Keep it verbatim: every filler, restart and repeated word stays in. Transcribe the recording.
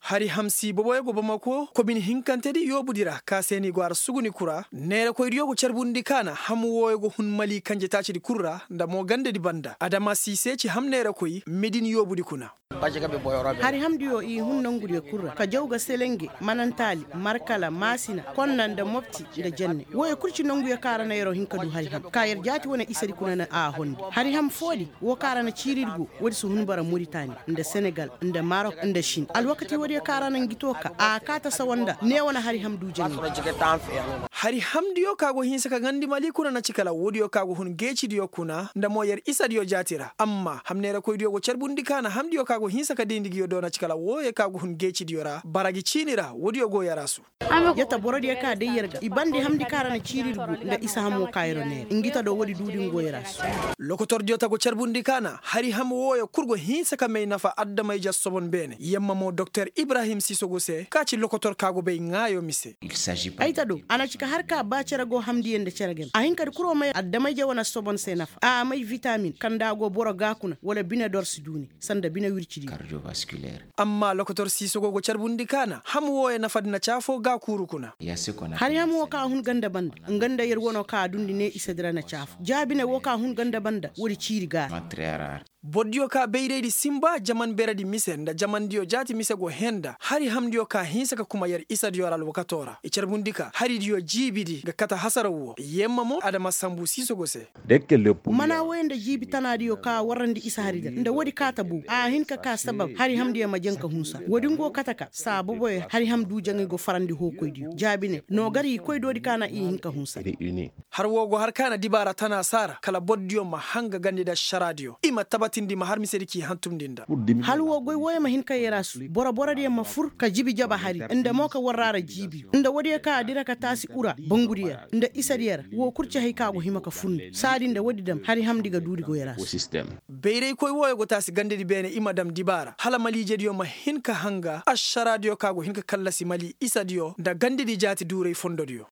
Hari hamsi boboyo go bamako komin hinkantedi yoobudi ra ka se ni go ara suguni kura neerakoydiyo go carbundi ka na ham wooyo go hun mali kanjetaacidi kul ra nda mo gandedi banda adama siise ci ham neerakoy medin yoobudi kuna. Hari hamdiyo i hun nongudiyo kul ra ka jaw ga selenge manantaali markala maasina konna nda mopti nda jenne wooyo kul ci nonguyo ka ra na yer'o hin ka du hari ham ka yer jaati wane isadi kuna na a hondi hari ham foodi. Woo ka ra na ciiridi go woodi si hun bara moritani nda senegal nda marok nda sin alwakati woodiyo ka ra na ngi too ka a kaa ta sawa nda neewo na hari ham du jenne. Hari hamdiyo ka go hinsa ka gandi mali kuna na ci kala woodiyo ka go hun geecidiyo kuna nda mo yer isadiyo jaati ra amma hamneerakoydiyo go carbundi ka na hamdiyo ka go hinsa ka dayndi ngiyo do na ci kala wooyo ka go hun geecidiyo ra bara gi ciini ra woodiyo go yaraasu. Yata borodiyo ka day yer ga i bandi hamndi ka ra na ciiridi go nda isa hamo ka yer neera ngi ta do woodi duudi ngo yeraasu. Lokotordiyo ta go carbundi ka na hari ham wooyo kul go hinsa ka may nafa addamayja sobon beene yamma mo doktor ibrahim sisogo se ka ci lokotor ka go bay ŋaayo mise. Ay ta do a na ci ka har ka ba cere go hamndiyo nda cere game a hin ka di kul wo may addamayja wane sobon se nafa a may vitamin kaŋ nda a go boro ga kuna wala bine dor si duuni sanda bine wircidiyo. Amma lokotor siisogo go carbundi ka na ham wooyo nafadi na caafo gaakuuru kuna. Hari ham woo ka hun ganda banda nga nda yer wanoo ka a dundi ne isadi ra na caafo jaabine woo ka hun ganda banda woodi ciiri gaara. Bordiyo ka bayraydi sinba jaman beredi mise nda jamandiyo jaati mise go hee nda hari hamndiyo ka hinsa ka kuma yer isadiyo ra alwakatoo ra i carbundi ka haridiyo jiibidi ga kate hasaraw woo yemma mo adama sanbu siisogo se. Mana woy nda jiibi tanaadiyo ka warrandi isa hari da nda woodi kaata boobu a hin ka ka sabab hari hamdiyo ma jaŋ ka hunsa woodi ngo kate ka saa boboyo hari ham du jaŋay go farandi hookoydiyo jaabi ne noo gar i koy doodi ka na i hin ka hunsa. Har woo go har ka na dibaara tana saara kala bordiyo ma hanga gandi nda ašaraadiyo i ma tabatindi ma har misedi k'i hantumndi nda. Hal woo goy wooyo ma hin ka yeraasu boro borodiyo ma fur ka jibi jaba hari nda mo ka warraara jiibiyo nda woodiyo ka a dira ka taasi ura bangudiyo ra nda isadiyo ra woo kul ci hay ka go hima ka fur nda saadi nda woodi dam hari hamndi ga duudi goyra se. Bayraykoy wooyo go taasi gandedi beene i ma dam dibaara hala maliijediyo ma hin ka hanga ašaraadiyo ka go hin ka kallasi mali isadiyo nda gandedi jaati duuray fondodiyo.